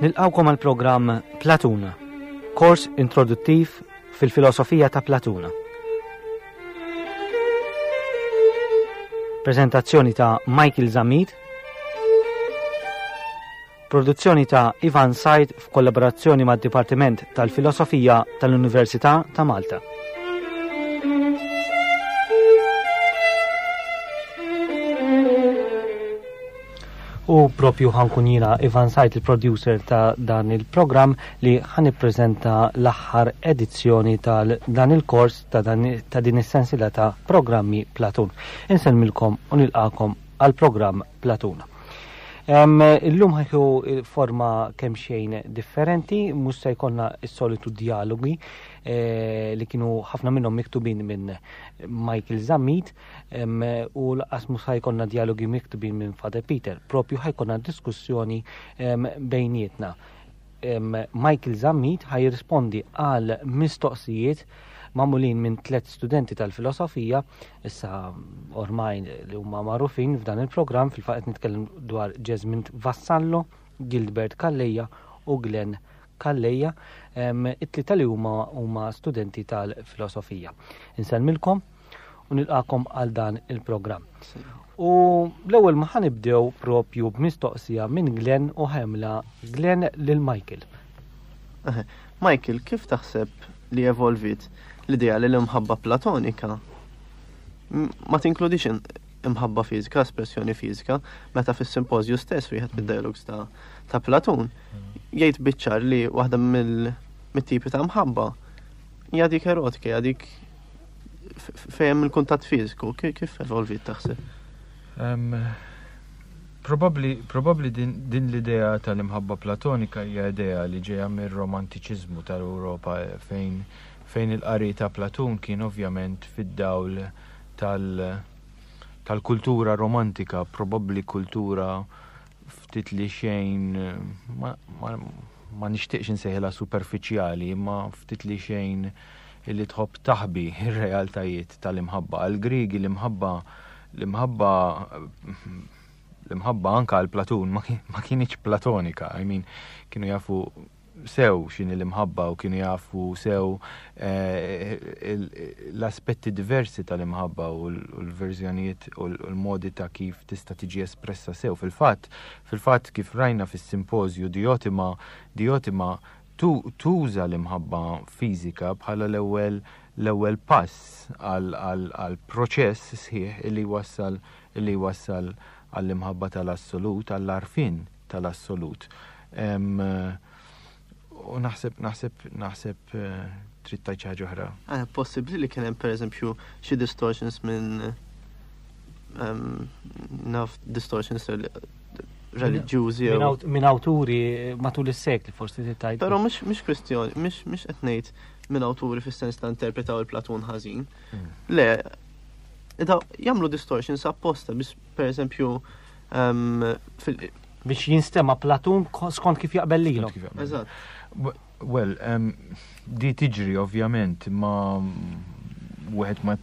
Nilqawkom għal programm Platuna, kors introduttiv fil-filosofija ta' Platuna. Prezentazzjoni ta' Michael Zammit, Produzzjoni ta' Ivan Said f'kollaborazzjoni mad-Dipartiment tal-Filosofija tal-Università ta' Malta. U propju ħankun jiena Ivan Sajt, il-producer ta' dan il-programm li ħan ippreżenta l-aħħar edizzjoni tal dan il-kors ta', dan, ta' din is-sensila ta' programmi Platun. Insellmilkom u nilqakom għal programm Platun. Illum ħajħu forma kemm xejn differenti, mhux se jkollna s-solitu dialogi eh, li kienu ħafna minnhom miktubin minn Michael Zammit u laqas mhux ħajkonna dialogi miktubin minn Father Peter, propju ħajkonna diskussjoni bejnietna. Michael Zammit ħaj jirrispondi għal mistoqsijiet magħmulin minn tlet studenti tal-filosofija, issa ormai li huma magħrufin f'dan il-programm, fil-fatt qed nitkellem dwar Jasmine Vassallo, Gilbert Calleja u Glenn Calleja, it-tlieta li huma huma studenti tal-filosofija. Insellmilkom u nilqakom għal dan il-programm. U l-ewwel ma ħanibdew propju b'mistoqsija minn Glenn u ħemla Glenn lil Michael. Michael, kif taħseb li evolvit l-idea li l-imħabba platonika ma tinkludix imħabba fiżika, espressjoni fiżika, meta fis-simpożju stess wieħed mid-dialogs ta', ta Platun jgħid biċ-ċar li waħda mill-tipi ta' mħabba hija dik erotika, hija dik fejn il-kuntatt fiżiku, kif evolvit taħseb? Probabli, probabli din, din l-idea tal-imħabba platonika hija idea li ġejja mir-romantiċiżmu tal-Ewropa eh, fejn fejn il-qari ta' Platun kien ovvjament fid-dawl tal tal-kultura romantika, probabbli kultura ftit li xejn ma, ma, ma nixtieqx insejħilha superfiċjali, imma ftit li xejn illi tħobb taħbi r-realtajiet tal-imħabba. Għall-Griegi l-imħabba l-imħabba l-imħabba anka għal Platun ma kienx platonika, I mean, kienu jafu sew x'inhi l-imħabba u kienu jafu sew eh, l-aspetti diversi tal-imħabba u l-verżjonijiet u l-modi ta' kif tista' tiġi espressa sew. Fil-fatt, fil-fatt kif rajna fis-simpożju Diotima, Diotima tuża l-imħabba fiżika bħala l-ewwel l-ewwel pass għal proċess sħiħ li jwassal li jwassal għall-imħabba tal-assolut, għall-għarfien tal-assolut. U naħseb, naħseb, naħseb eh, trid tgħid xi ħaġa oħra. Eh, possibbli li kien hemm pereżempju xi distortions minn naf distortions reliġjużi. Minn awturi matul is-sekli forsi tgħid. Però mhux mhux kwistjoni, mhux mhux qed ngħid minn awturi fis-sens ta' interpretaw il-Platun ħażin. Hmm. Le, jagħmlu distortions apposta biex pereżempju ehm, biex jinstema Platun skont kif jaqbel lilu. Eżatt. Well, um, di tiġri ovvjament ma wieħed ma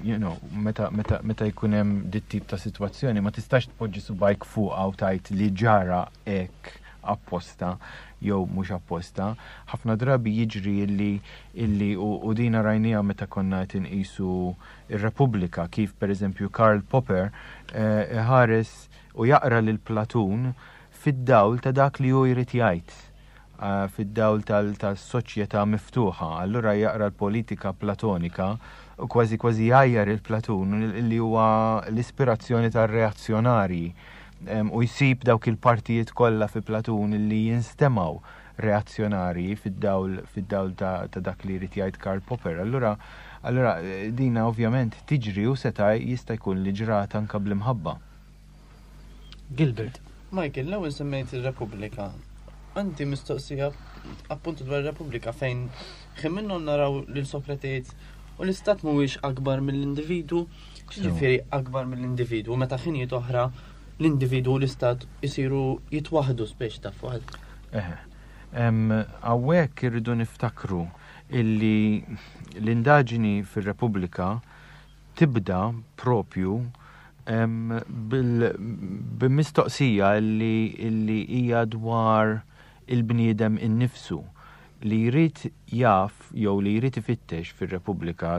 you know, meta, meta, meta jkun hemm dit tip ta' sitwazzjoni ma tistax tpoġġi subajk fuqha u tajt li ġara hekk apposta jew mhux apposta. Ħafna drabi jiġri illi illi u, u dina rajnija meta konna qed inqisu ir-Repubblika kif pereżempju Karl Popper eh, ħares u jaqra lil Platun fid-dawl ta' dak li hu jrid jgħid fid-dawl tas-soċjetà miftuħa. Allura jaqra l-politika platonika u kważi kważi jgħajjar il-Platun li huwa l-ispirazzjoni tar-reazzjonarji u jsib dawk il-partijiet kollha fi Platun li jinstemgħu reazzjonarji fid-dawl fid-dawl ta' dak li jrid jgħid Karl Popper. Allura allura dina ovvjament tiġri u seta' jista' jkun li ġrat anke bl-imħabba. Gilbert. Michael, l-ewwel semmejt ir-Repubblika. Għandi mistoqsija appuntu dwar ir-Repubblika fejn ħin minnhom naraw lil Sokrate jgħid u l-istat mhuwiex akbar mill-individwu, x'jiġifieri akbar mill-individwu meta ħinijiet oħra l-individwu u l-istat isiru jitwaħdu speċi ta' fuq. Eħe. Hawnhekk irridu niftakru illi l-indaġini fir-Repubblika tibda propju b'mistoqsija li hija dwar il-bniedem innifsu li jrid jaf jew li jrid ifittex fir-Repubblika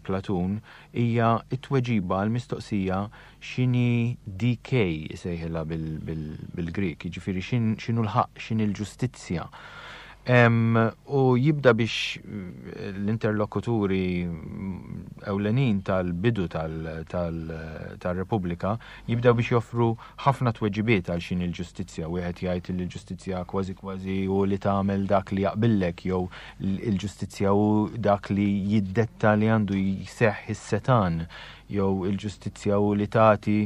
Platun hija t-tweġiba għall-mistoqsija x'inhi dikē isejħilha bil-Grieg, jiġifieri x'inhu l-ħaqq, x'inhi l-ġustizzja. U jibda biex l-interlokuturi ewlenin tal-bidu tal-Repubblika jibdew biex joffru ħafna tweġibiet għal x'inhi l-ġustizzja. Wieħed jgħid li l-ġustizzja kważi kważi hu li tagħmel dak li jaqbillek jew il-ġustizzja hu dak li jiddetta li għandu jseħħ is-setan jew il-ġustizzja hu li tagħti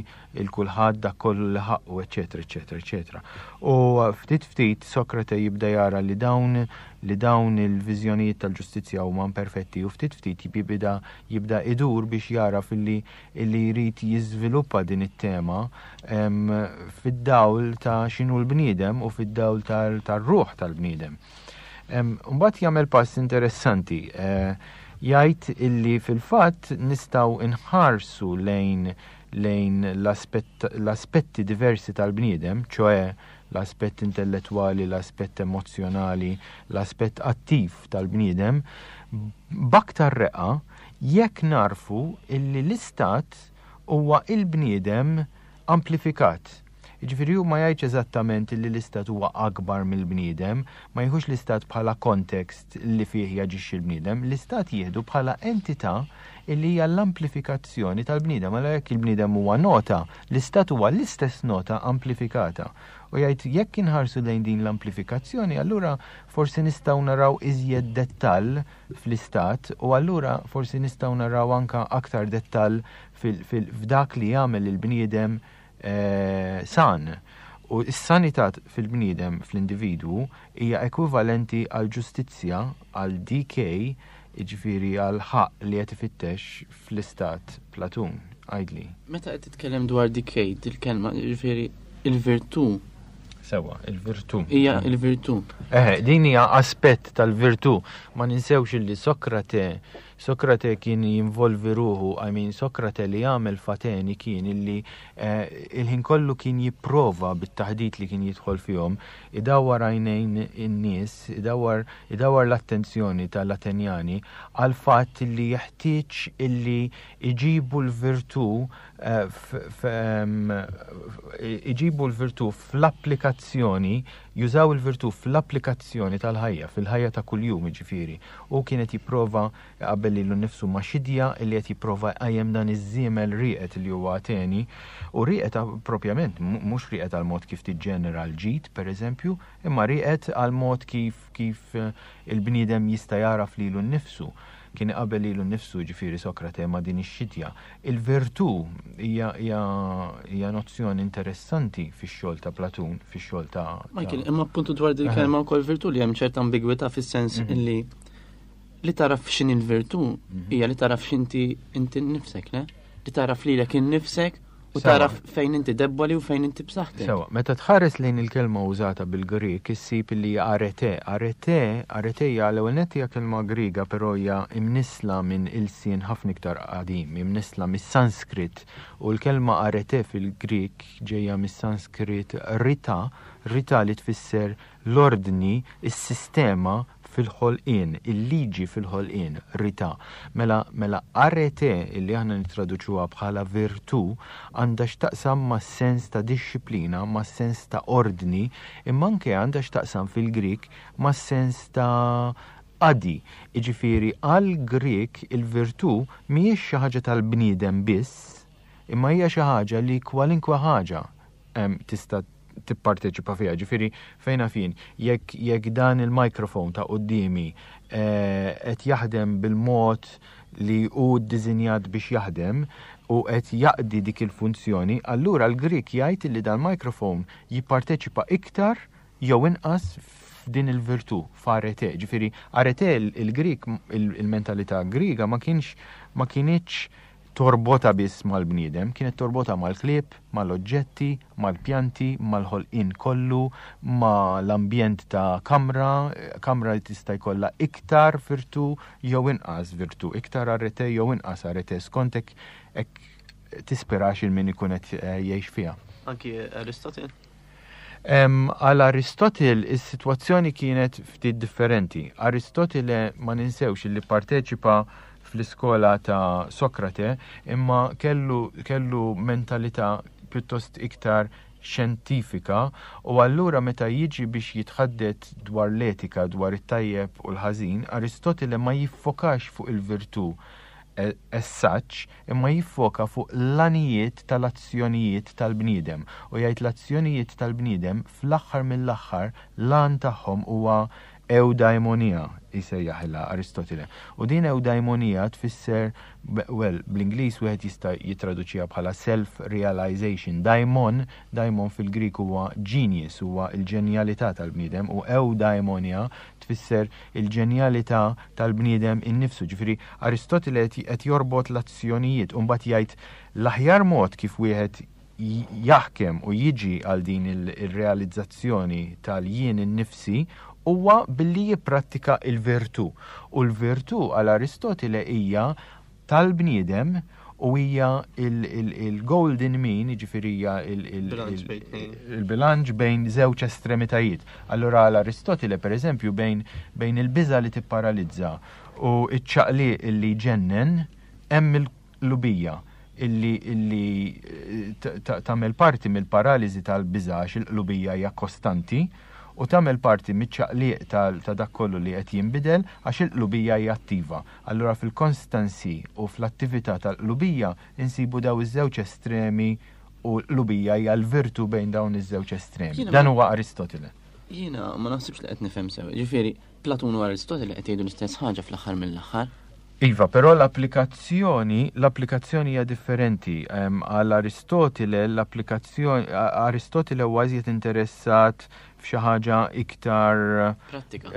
il kulħadd dak kollu li ħaqqu, eċetera, eċetera, eċetera. U ftit ftit Sokrate jibda jara li dawn li dawn il-viżjonijiet tal-ġustizzja huma imperfetti u ftit ftit jibda jibda idur biex jara filli illi jrid jiżviluppa din it-tema fid-dawl ta' x'inhu l-bniedem u fid-dawl tar-ruħ tal-bniedem. Mbagħad jagħmel pass interessanti. Eh, jgħid illi fil-fatt nistgħu nħarsu lejn lejn l-aspetti diversi tal-bniedem, ċoe l-aspett intellettwali, l-aspett emozjonali, l-aspett attiv tal-bniedem, b'aktar reqqa jekk nagħrfu illi l-istat huwa il-bniedem amplifikat. Jiġifieri hu ma jgħidx eżattament illi l-istat huwa akbar mill-bniedem, ma jieħux l-istat bħala kontekst li fih jaġixxi l-bniedem, l-istat jieħdu bħala entità illi hija l-amplifikazzjoni tal-bniedem. Allura jekk il-bniedem huwa nota, l-istat huwa l-istess nota amplifikata. U jgħid jekk inħarsu lejn din l-amplifikazzjoni, allura forsi nistgħu naraw iżjed dettall fl-istat u allura forsi nistgħu naraw anka aktar dettall f'dak li jagħmel il-bniedem eh, san. U s-sanità fil-bniedem fl-individwu hija ekwivalenti għal ġustizzja għal DK jiġifieri għal ħaqq li qed ifittex fl-istat Platun. Għidli. Meta qed titkellem dwar DK, dil-kelma, jiġifieri il-virtù Sewa, il-virtù. Hija il-virtù. Eh, din hija aspett tal-virtù. Ma ninsewx illi Sokrate, Sokrate kien jinvolvi ruħu, I mean, Sokrate li għamel f'Ateni kien illi eh, il-ħin kollu kien jipprova bit-taħdit li kien jidħol fihom, idawwar għajnejn in-nies, idawwar idawwar l-attenzjoni tal-Atenjani għal fatt li jeħtieġ illi iġibu l-virtù Eh, iġibu l-virtù fl-applikazzjoni, jużaw il-virtù fl-applikazzjoni tal-ħajja, fil-ħajja ta' kuljum jiġifieri. U kienet jipprova qabel lilu nnifsu ma' xidja li qed jipprova jqajjem dan iż-żiemel rieqed li huwa Ateni u rieqed propjament mhux rieqed għal mod kif tiġġenera l-ġid, pereżempju, imma rieqed għal mod kif kif il-bniedem jista' jagħraf lilu nnifsu. Kien iqabbel lilu nnifsu, jiġifieri Sokrate, ma' din ix-xitja. Il-virtù hija hija hija nozzjoni interessanti fix-xogħol ta' Platun, fix-xogħol ta' Michael, imma appuntu dwar din il-kelma wkoll virtù li hemm ċerta ambigwità fis-sens mhm. illi li taraf x'inhi l-virtù mhm. hija li taraf x'inti inti nnifsek, le? Li taraf lilek innifsek U taraf fejn inti debboli u fejn inti b'saħħtek. Sewa, meta tħares lejn il-kelma użata bil-Grieg issib li hija arete. Arete, arete hija l-ewwel nett hija kelma Griega però hija imnissla minn ilsien ħafna iktar qadim, imnissla mis-Sanskrit u l-kelma arete fil-Grieg ġejja mis-Sanskrit rita, rita li tfisser l-ordni, is-sistema fil-ħolqien, il-liġi fil-ħolqien, rità. Mela, mela arete, illi aħna nittraduċuha bħala virtù, għandha x'taqsam mas-sens ta' dixxiplina, mas-sens ta' ordni, imma anke għandha x'taqsam fil-Grieg mas-sens ta' qadi. Jiġifieri għall-Grieg il-virtù mhijiex xi ħaġa tal-bniedem biss, imma hija xi ħaġa li kwalinkwe ħaġa tista' tipparteċipa fiha. Ġifieri fejn naf jien, jekk jekk dan il-microphone ta' quddiemi eh, qed jaħdem bil-mod li hu ddisinjat biex jaħdem u qed jaqdi dik il-funzjoni, allura l-Grieg jgħid li dan microphone jipparteċipa iktar jew inqas f'din il-virtù, f'arete. Ġifieri arete il-Grieg il-mentalità Griega ma kienx ma kinitx torbotha biss mal-bniedem, kienet torbotha mal-klieb, mal-oġġetti, mal-pjanti, mal-ħolqien kollu, mal-ambjent ta' kamra, kamra li tista' jkollha iktar virtù jew inqas virtù, iktar arete jew inqas arete, skont hekk hekk tispirax il min ikun qed eh, jgħix fiha. Anki Aristotle? Għal Aristotle is-sitwazzjoni kienet ftit differenti. Aristotile ma ninsewx li parteċipa fl-iskola ta' Sokrate imma kellu, kellu mentalità pjuttost iktar xjentifika u allura meta jiġi biex jitħaddet dwar l-etika, dwar it-tajjeb u l-ħażin, Aristotile ma jiffokax fuq il-virtù as such, imma jiffoka fuq l-għanijiet tal-azzjonijiet tal-bniedem u jgħid l-azzjonijiet tal-bniedem fl-aħħar mill-aħħar l-għan tagħhom huwa eudaimonia jsejjaħilha Aristotile. U din eudaimonia tfisser, well, bl-Ingliż wieħed jista' jittraduċiha bħala self-realization. Daimon, daimon fil-Grieg huwa genius, huwa l-ġenjalità tal-bniedem u eudaimonia tfisser il-ġenjalità tal-bniedem innifsu. Ġifieri Aristotile qed jorbot l-azzjonijiet u mbagħad jgħid l-aħjar mod kif wieħed jaħkem u jiġi għal din ir-realizzazzjoni tal-jien innifsi huwa billi jipprattika l-virtù. U l-virtù għal Aristotile hija tal-bniedem u hija il-golden mean, jiġifieri hija il-bilanċ bejn żewġ estremitajiet. Allura għal Aristotile, per eżempju, bejn, bejn il-biża li tipparalizza u iċ-ċaqliq li jġennen, hemm il-qlubija illi illi tagħmel parti mill-paraliżi tal-biża għax il-qlubija hija kostanti u tagħmel parti miċ-ċaqliq ta' dak kollu li qed jinbidel għax il-qlubija hija attiva. Allura fil-constancy u fl-attività tal-qlubija insibu daw iż-żewġ estremi u l-qlubija hija l-virtù bejn dawn iż-żewġ estremi. Dan huwa Aristotile. Jiena ma naħsibx li qed nifhem sew. Ġifieri, Platun u Aristotile qed jgħidu l-istess ħaġa fl-aħħar mill-aħħar. Iva, però l-applikazzjoni, l-applikazzjoni hija differenti. Għal Aristotile, l-applikazzjoni, Aristotile huwa iżjed interessat f'xi ħaġa iktar Prattika.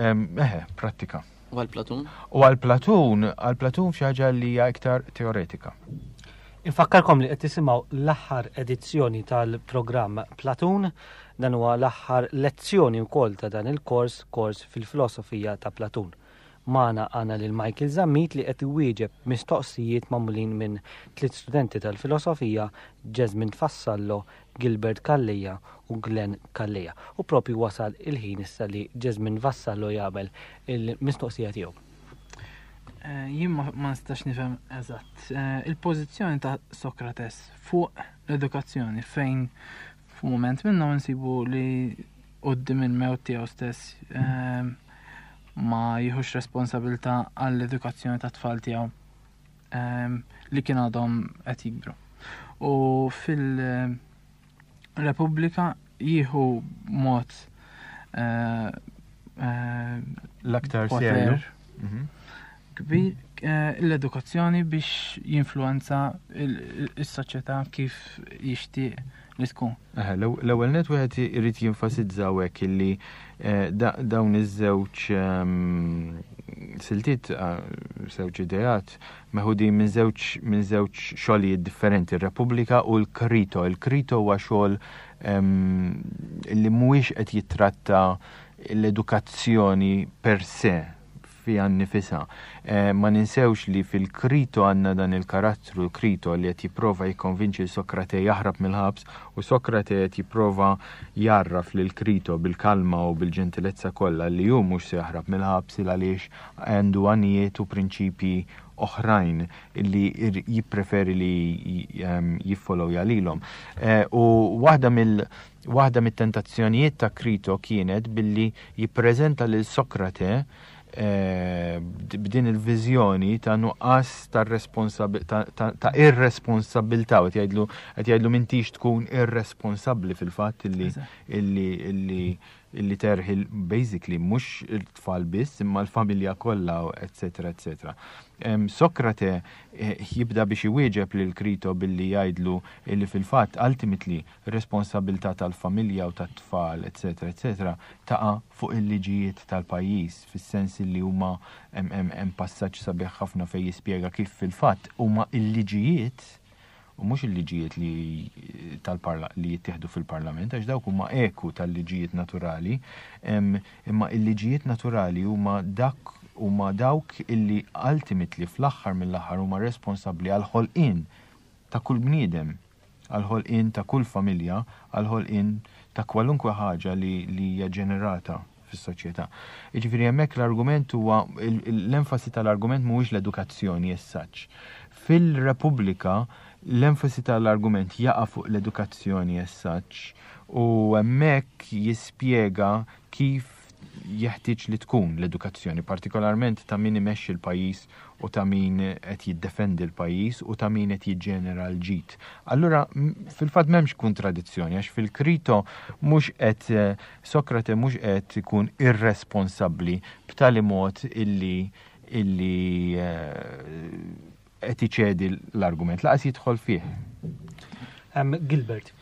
Eħe, prattika. U għal Platun? U għal Platun, għal Platun f'xi ħaġa li hija iktar teoretika. Infakkarkom li qed tisimgħu l-aħħar edizzjoni tal-programm Platun, dan huwa l-aħħar lezzjoni wkoll ta' dan il-kors, kors fil-filosofija ta' Platun. Magħna għandna lil Michael Zammit li qed iwieġeb mistoqsijiet magħmulin minn tliet studenti tal-filosofija, Jasmine Fassallo, Gilbert Calleja u Glenn Calleja. U propju wasal il-ħin issa li Jasmine Vassallo jagħmel il-mistoqsija tiegħu. Eh, jien ma nistax nifhem eżatt. Eh, il-pożizzjoni ta' Sokrates fuq l-edukazzjoni fejn f'mument minnhom insibu li qudiem il-mewt tiegħu stess eh, ma jieħux responsabilità għall-edukazzjoni tat-tfal tiegħu li kien għadhom qed jikbru. U fil-Repubblika jieħu mod eh, eh, l-aktar serju mhm. kbir eh, l-edukazzjoni biex jinfluenza is-soċjetà kif jixtieq li tkun. L-ewwel net wieħed irid jinfasizza hawnhekk illi eh, dawn iż-żewġ ehm, siltiet, eh, żewġ ideat, meħudin minn żewġ minn żewġ xogħlijiet differenti, ir-Repubblika u l-Krito. Il-Krito huwa xogħol ehm, li mhuwiex qed jittratta l-edukazzjoni per se fiha nnifisha. Ma ninsewx li fil-Krito għandna dan il-karattru Krito li qed jipprova jikkonvinċi lil Sokrate jaħrab mill-ħabs u Sokrate qed jipprova jgħarraf lil Krito bil-kalma u bil-ġentilezza kollha li hu mhux se jaħrab mill-ħabs il għaliex għandu għanijiet u prinċipji oħrajn li jippreferi li jiffollowja lilhom. U waħda mill Waħda mit-tentazzjonijiet ta' Krito kienet billi jippreżenta lil Sokrate eh, b'din il-viżjoni ta' nuqqas ta' ta' irresponsabilità qed jgħidlu qed jgħidlu m'intix tkun irresponsabbli fil-fatt illi illi illi illi terħi basically mhux it-tfal biss imma l-familja kollha eċetera eċetera. Sokrate eh, jibda biex iwieġeb lil Krito billi jgħidlu illi fil-fatt ultimately Ir-responsabbiltà tal-familja u tat-tfal, eċċetera eċċetera, taqa' fuq il-liġijiet tal-pajjiż, fis-sens illi huma hemm hemm hemm passaġġ sabiħ ħafna fejn jispjega kif fil-fatt huma l-liġijiet u mhux il-liġijiet li tal-parla li jittieħdu fil-parlament għax dawk huma eku tal-liġijiet naturali, imma il-liġijiet naturali huma dak huma dawk illi ultimately fl-aħħar mill-aħħar huma responsabbli għall-ħolqien ta' kull bniedem. għall-ħolqien ta' kull familja, għall-ħolqien ta' kwalunkwe ħaġa li li hija ġenerata fis-soċjetà. Jiġifieri hemmhekk l-argument huwa l-enfasi tal-argument mhuwiex l-edukazzjoni as such. Fil-Repubblika l-enfasi tal-argument jaqa' fuq l-edukazzjoni as such u hemmhekk jispjega kif jeħtieġ li tkun l-edukazzjoni, partikolarment ta' min imexxi l-pajjiż u ta' min qed jiddefendi l-pajjiż u ta' min qed jiġġenera l-ġid. Allura fil-fatt m'hemmx kontradizzjoni għax fil-Krito mhux qed Sokrate mhux qed ikun irresponsabbli b'tali mod illi illi qed iċedi l-argument, laqas jidħol fih. Gilbert.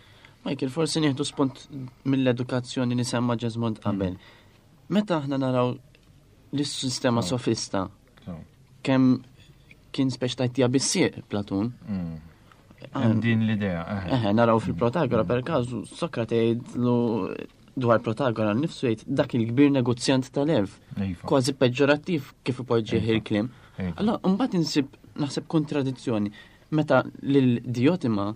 Michael, forsi nieħdu spunt mill-edukazzjoni li semma Ġesmond qabel. Meta aħna naraw l-sistema sofista, kemm kien speċ tajtija bissieq Platun. Mm. Din l-idea. Eħe, naraw fil-Protagora per każu Sokrate jgħidlu dwar Protagora nnifsu jgħid dak il-kbir negozjant tal-erf. Iva. Kważi peġġorattiv kif ipoġġih iva. il-kliem. Iva. Allora, mbagħad insib naħseb kontradizzjoni meta lil Diotima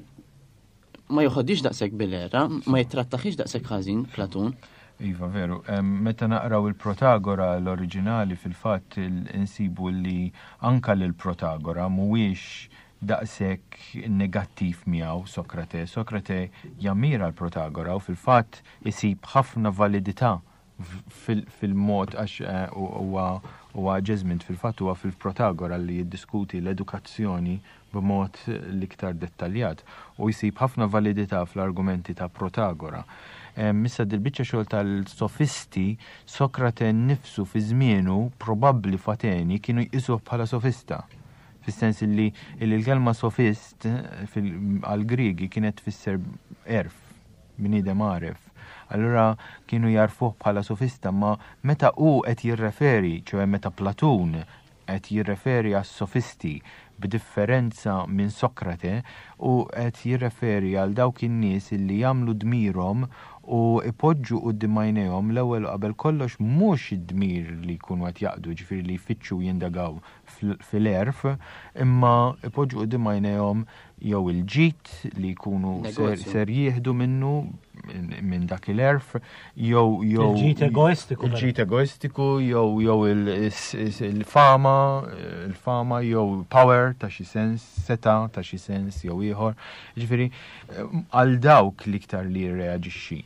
ma joħodix daqshekk bil-era, ma jittrattaħiex daqshekk ħażin Platun. Iva, veru. Meta naqraw il-Protagora l-oriġinali fil-fatt insibu li anka lil Protagora mhuwiex daqshekk negattiv miegħu Sokrate. Sokrate jammira l-Protagora u fil-fatt isib ħafna validità fil-mod għax eh, huwa huwa Jesmond fil-fatt huwa fil-Protagora li jiddiskuti l-edukazzjoni b'mod l-iktar dettaljat u jsib ħafna validità fl-argumenti ta' Protagora. Issa dil-biċċa xogħol tal-sofisti, Sokrate nnifsu fi żmienu probabbli f'Ateni kienu jqisuh bħala sofista. Fis-sens illi l-kelma sofist għall-Griegi kienet tfisser għerf, bniedem għaref. Allura kienu jagħrfuh bħala sofista, ma meta hu qed jirreferi, ċoe meta Platun qed jirreferi għas-sofisti b'differenza minn Sokrate, hu qed jirreferi għal dawk in-nies illi jagħmlu dmirhom u jpoġġu quddiem għajnejhom l-ewwel u qabel kollox mhux id-dmir li jkunu qed jaqdu, jiġifieri li jfittxu u jindagaw fil-għerf, imma ipoġġu quddiem għajnejhom jew il-ġid li jkunu ser jieħdu minnu minn dak il-għerf, jew jew il-ġid egoistiku. Il-ġid egoistiku jew jew il-fama, il-fama jew power ta' xi sens, seta ta' xi sens jew ieħor. Ġifieri għal dawk l-iktar li jirreaġixxi.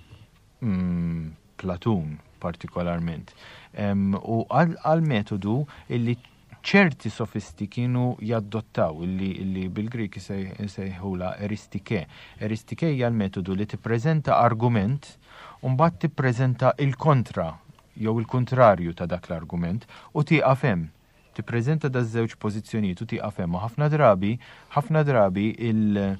Mm, Platun partikolarment. U għal metodu illi ċerti sofisti kienu jaddottaw illi, illi bil-Grik isejħula eristike. Eristike hija l-metodu li tippreżenta argument u mbagħad tippreżenta il-kontra jew il-kuntrarju ta' dak l-argument u tieqaf hemm. Tippreżenta daż-żewġ pożizzjonijiet u tieqaf hemm. U ħafna drabi, ħafna drabi il-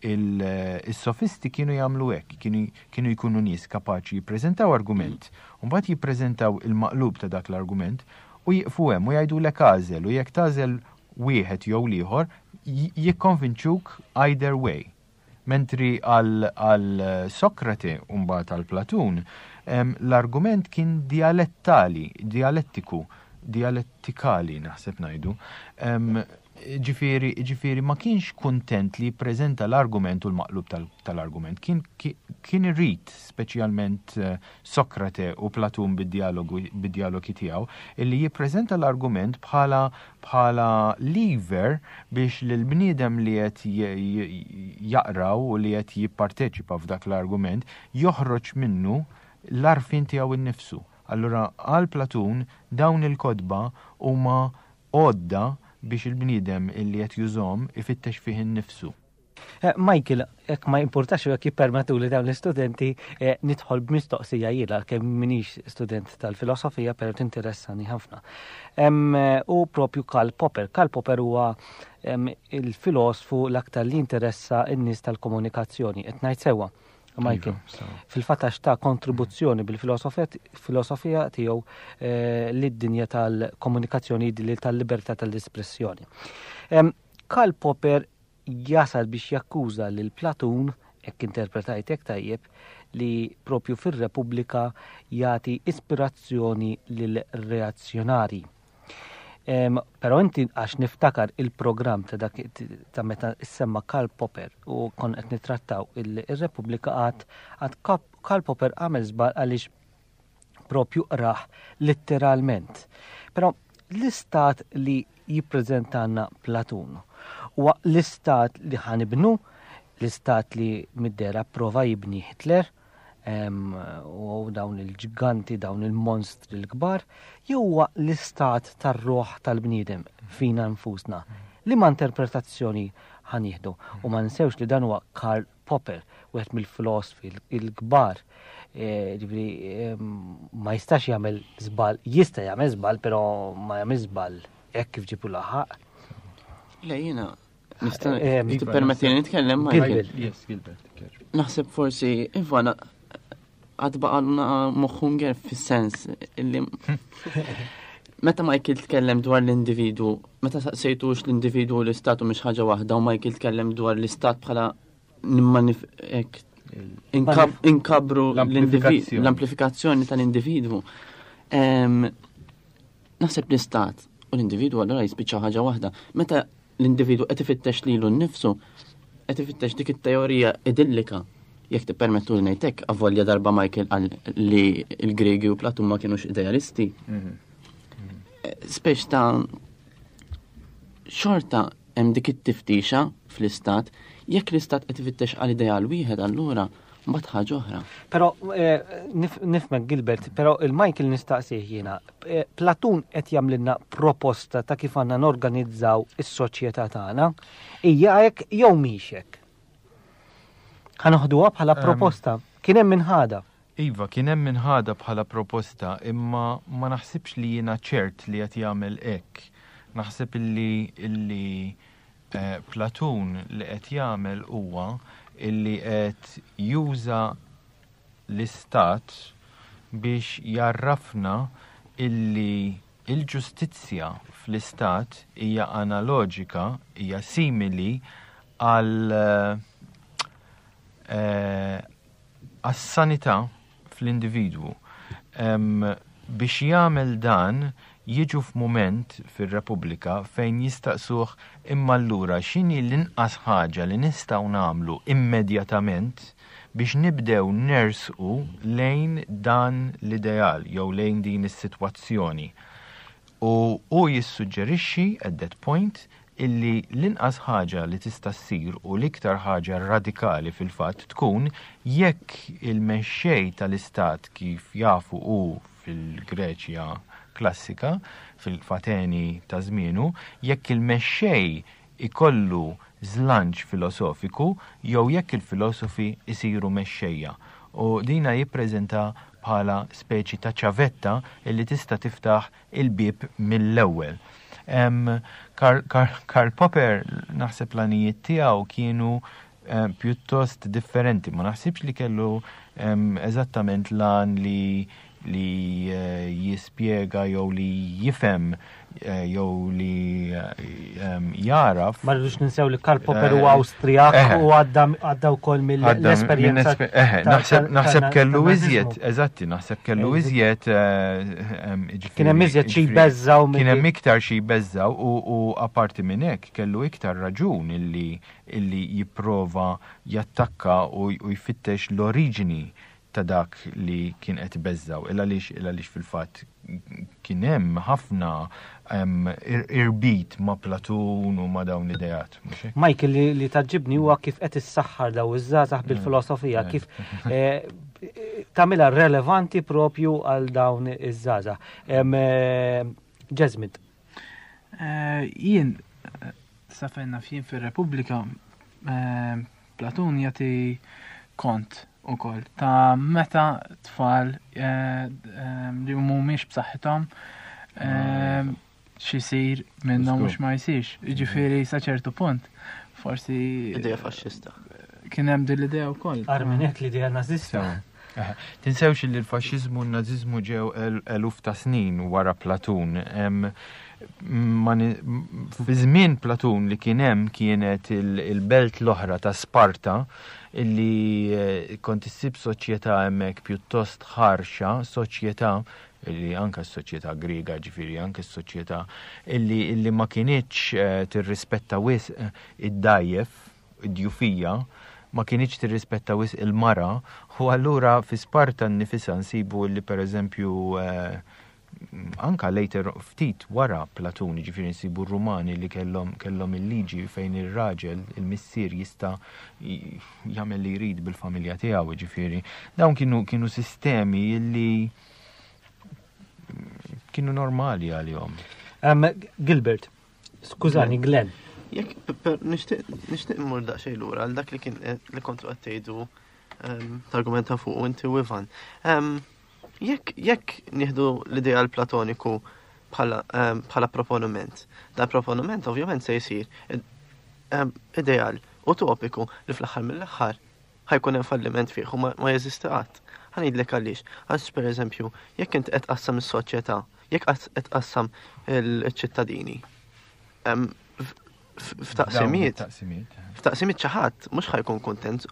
il-sofisti kienu jagħmlu hekk, kienu jkunu nies kapaċi jippreżentaw argument, u mbagħad jippreżentaw il-maqlub ta' dak l-argument u jieqfu hemm u jgħidulek agħżel u jekk tagħżel wieħed jew l-ieħor jikkonvinċuk either way. Mentri għal Sokrate u mbagħad għal Platun, l-argument kien dialettali, dialettiku, dialettikali naħseb ngħidu. Ġifieri, ġifieri ma kienx kuntent li jippreżenta l-argument u l-maqlub tal-argument. Kien, kien irid, speċjalment eh, Sokrate u Platun bid-dialogu bid-dialogi tiegħu, illi jippreżenta l-argument bħala bħala lever biex lill-bniedem li qed jaqra u li qed jipparteċipa f'dak l-argument joħroġ minnu l-għarfien tiegħu nnifsu. Allura għal Platun dawn il-kotba huma għodda biex il-bniedem illi qed jużhom ifittex fih innifsu. Eh, Michael, jekk ma jimpurtax u jekk jippermettuli dawn l-istudenti, eh, nidħol b'mistoqsija jiena kemm minix student tal-filosofija, però tinteressani ħafna. Eh, u propju Karl Popper. Karl Popper huwa il-filosfu l-aktar li interessa n-nies tal-komunikazzjoni. Qed ngħid sewwa. Michael, iva, fil-fatt għax ta' kontribuzzjoni bil-filosofija tiegħu lid-dinja tal-komunikazzjoni tal-libertà tal-espressjoni. Karl Popper jasal biex jakkuża lil Platun, hekk interpretajtek tajjeb, li propju fir-Repubblika jagħti ispirazzjoni lil reazzjonari. Però inti għax niftakar il-programm ta' dak ta' meta semma Karl Popper u kon qed nittrattaw il-Repubblika għad għad Karl Popper għamel żball għaliex propju qrah litteralment. Però l-istat li jippreżentanna Platun huwa l-istat li ħanibnu, l-istat li mid-dera prova jibni Hitler, u dawn il-ġganti, dawn il-monstri l-kbar, jew huwa l-istat tar-ruħ tal-bniedem fina nfusna. Liema interpretazzjoni ħa nieħdu? U ma ninsewx li dan huwa Karl Popper, wieħed mill-filosfi l-kbar. E, ġifieri ma jistax jagħmel żball, jista' jagħmel żball, però ma jagħmel żball hekk kif ġibu laħaq. Le jiena Nista' eh, tippermetti li nitkellem Michael? Yes, Gilbert. Naħseb forsi Iva għad baqalna moħħu nger fis-sens illi meta Michael tkellem dwar l-individu, meta saqsejtux l-individu u l-istat u mhix ħaġa waħda u Michael tkellem dwar l-istat bħala inkabru l-amplifikazzjoni tal-individwu. Naħseb l-istat u l-individwu allura jispiċċaw ħaġa waħda. Meta l-individwu qed ifittex lilu nnifsu, qed ifittex dik it-teorija idillika. Jekk tippermettu li ngħid hekk, avolja darba Michael qal li l-Griegi u Platun ma kienux idealisti. Mhm. Spex ta' xorta hemm dik it-tiftixa fl-istat, jekk l-istat qed ifittex għal ideal wieħed allura mbagħad ħaġa oħra. Però eh, nifmek Gilbert, però il-Michael nistaqsih jiena, eh, Platun qed jagħmlilna proposta ta' kif għandna norganizzaw is-soċjetà tagħna, hija hekk jew mhix hekk. Ħa noħduha bħala proposta. Kien hemm min ħadha. Iva, kien hemm min ħadha bħala proposta, imma ma naħsibx li jiena ċert li qed jagħmel hekk. Naħseb illi illi eh, Platun li qed jagħmel huwa illi qed juża l-istat biex jgħarrafna illi il-ġustizzja fl-istat hija analoġika, hija simili għal eh, għas-sanità fl-individwu. Biex jagħmel dan jiġu f'mument fir-Repubblika fejn jistaqsuh imma allura x'inhi l-inqas ħaġa li nistgħu nagħmlu immedjatament biex nibdew nersqu lejn dan l-ideal jew lejn din is-sitwazzjoni. U hu jissuġġerixxi at that point illi l-inqas ħaġa li tista' ssir u l-iktar ħaġa radikali fil-fatt tkun jekk il-mexxej tal-istat kif jafu hu fil-Greċja klassika, fil-Ateni ta' żmienu, jekk il-mexxej ikollu żlanċ filosofiku jew jekk il-filosofi jsiru mexxejja. U dina jippreżenta bħala speċi ta' ċavetta illi tista' tiftaħ il-bieb mill-ewwel. Karl Popper naħseb l-għanijiet tiegħu kienu eh, pjuttost differenti. Ma naħsibx li kellu eżattament l-għan li li eh, jispjega jew li jifhem eh, jew li jaraf. Ma rridux ninsew li Karl Popper huwa Awstrijak u għadda wkoll mill-esperjenza. Naħseb kellu iżjed, eżatti, naħseb kellu iżjed. Kien hemm iżjed xi jbeżżaw. Kien hemm iktar xi jbeżżaw u apparti minn hekk kellu iktar raġun illi illi jipprova jattakka u jfittex l-oriġini ta' dak li kien qed ibeżżgħu, il għaliex il għaliex fil-fatt kien hemm ħafna irbit ma' Platun u ma' dawn l-ideat. Michael li, li taġġibni huwa kif qed issaħħar daw iż-żgħażagħ mm. bil-filosofija, mm. kif eh, tagħmilha relevanti propju għal dawn iż-żgħażagħ. Eh, Jesmond. Eh, jien sa fejn naf jien fir-Repubblika Platun jagħti kont ukoll ta' meta tfal eh, eh, li mhumiex b'saħħithom eh, x'isir minnhom mhux ma jsirx. Jiġifieri sa ċertu punt forsi. Idea faxxista. Kien hemm din l-idea wkoll. Arminet l-idea nażista. Tinsewx li l-faxxiżmu u n-naziżmu ġew eluf ta' snin wara Platun. Fi żmien Platun li kien hemm kienet il-belt l-oħra ta' Sparta illi eh, kont issib soċjetà hemmhekk pjuttost ħarxa, soċjetà Illi anke s-soċjetà Griega, ġifieri anke s-soċjetà illi, illi ma kinitx eh, tirrispetta wisq eh, id-dgħajjef, id-djufija, ma kinitx tirrispetta wisq il-mara, u allura fi Sparta nnifisha nsibu illi pereżempju eh, anka later ftit wara Platun, ġifieri nsibu r-Rumani li kellhom kellhom il-liġi fejn ir-raġel, il-missier jista' jagħmel li jrid bil-familja tiegħu, ġifieri. Dawn kienu kienu sistemi li kienu normali għalihom. Um, Gilbert, skużani, Glenn. Jekk nixtieq immur daqsxejn lura għal dak li kien eh, li kontu qed tgħidu ehm, targumenta fuq inti u Ivan. Ehm, jekk jekk nieħdu l-ideal platoniku bħala ehm, bħala proponiment, dan proponiment ovvjament se jsir ideal utopiku li fl-aħħar mill-aħħar ħa jkun hemm falliment fih u ma jeżisti qatt. Ħa ngħidlek għaliex. Għax pereżempju, jekk int qed tqassam is-soċjetà, jekk qed tqassam il-ċittadini, f'taqsimiet, f'taqsimiet xi ħadd mhux ħa jkun kuntent,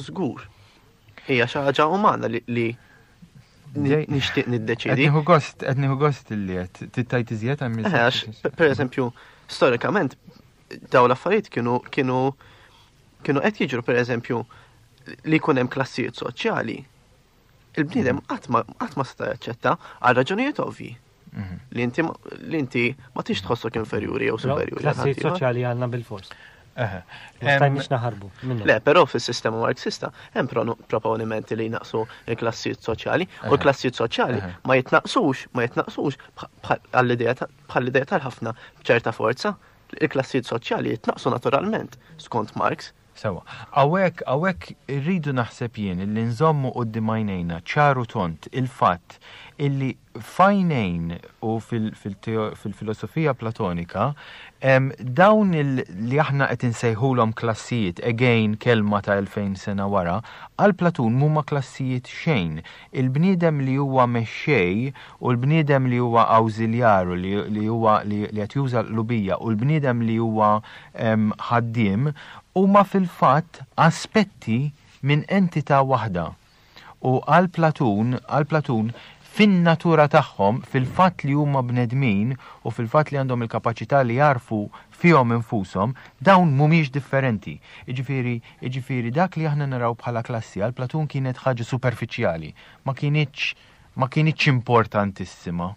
żgur. Hija xi ħaġa umana li nixtieq niddeċidi. Qed nieħu gost, qed nieħu gost li qed tittajt iżjed hemm. Eh, għax pereżempju, storikament daw l-affarijiet kienu kienu kienu qed jiġru pereżempju li jkun hemm klassijiet soċjali. Il-bniedem mhm. qatt ma seta' jaċċetta għal raġunijiet ovvji. Mhm. Li inti li inti ma tix tħossok inferjuri jew superjuri. Klassijiet soċjali għandna bil-fors. Stajniex naħarbu. Le, però fis-sistema Marxista hemm proponimenti li jnaqsu l-klassijiet soċjali u l-klassijiet soċjali ma jitnaqsux, ma jitnaqsux bħall-idea tal-ħafna b'ċerta forza. Il-klassijiet soċjali jitnaqqsu naturalment, skont Marx. Sewwa. Hawnhekk, hawnhekk irridu naħseb jien illi nżommu quddiem għajnejna ċar u tond il-fatt illi f'għajnejn u fil-filosofija Platonika dawn li aħna qed insejħulhom klassijiet, again kelma ta' 2000 sena wara, għal Platun mhuma klassijiet xejn. Il-bniedem li huwa mexxej u l-bniedem li huwa awżiljaru li huwa li qed juża l-qlubija u l-bniedem li huwa ħaddiem huma fil-fatt aspetti minn entità waħda. U għal Platun, għal Platun, fin-natura tagħhom, fil-fatt li huma bnedmin u fil-fatt li għandhom il-kapaċità li jagħrfu fihom infushom, dawn mhumiex differenti. Jiġifieri, jiġifieri dak li aħna naraw bħala klassi għal Platun kienet ħaġa superfiċjali, ma kinitx ma kinitx importantissima.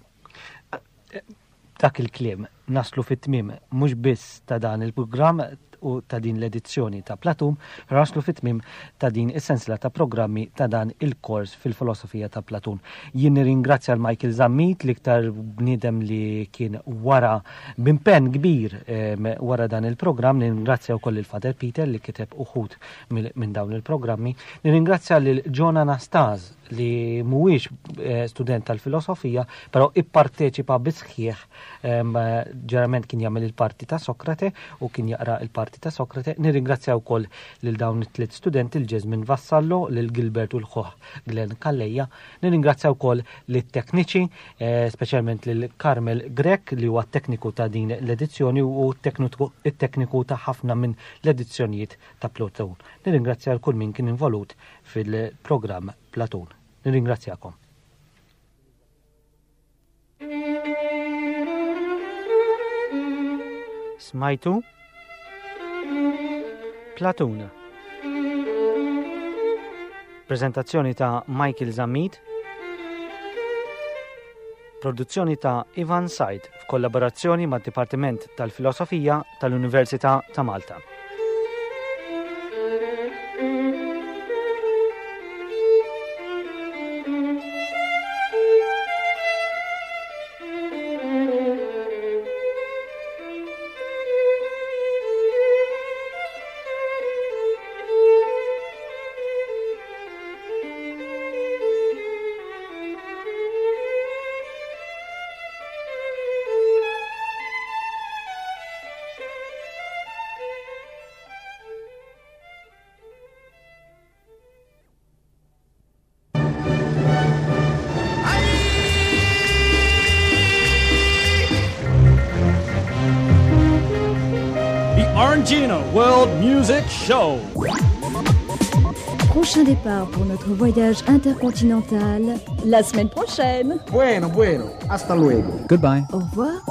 B'dak il-kliem naslu fit-tmiem mhux biss ta' dan il-programm u ta' din l-edizzjoni ta' Platum, però naslu fit-tmiem ta' din is-sensiela ta' programmi ta' dan il-kors fil-filosofija ta' Platun. Jien nirringrazzja l Michael Zammit, l-iktar bniedem li kien wara b'impenn kbir wara dan il-programm, nirringrazzja wkoll lil Father Peter li kiteb uħud minn dawn il-programmi, nirringrazzja lil John Anastase li mhuwiex eh, student tal-filosofija, però ipparteċipa bisħieħ ġerament kien jagħmel il-parti ta' Sokrate u kien jaqra il-parti ta' Sokrate. Nirringrazzja wkoll lil dawn it-tliet studenti l-Ġesmin Vassallo, lil Gilbert u l-ħuħ Glenn Calleja. Nirringrazzja wkoll lit-tekniċi, eh, speċjalment lil Carmel Grech li huwa t-tekniku ta' din l-edizzjoni u t-tekniku ta' ħafna minn l-edizzjonijiet ta' Platon. Nirringrazzja l kull min kien involut fil-programm Platun. Nirringrazzjakom. Smajtu Platun. Prezentazzjoni ta' Michael Zammit. Produzzjoni ta' Ivan Said f'kollaborazzjoni mad-Dipartiment tal-Filosofija tal-Università ta' Malta. The Orangina World Music Show. Prochain départ pour notre voyage intercontinental la semaine prochaine. Bueno, bueno, hasta luego. Goodbye. Au revoir.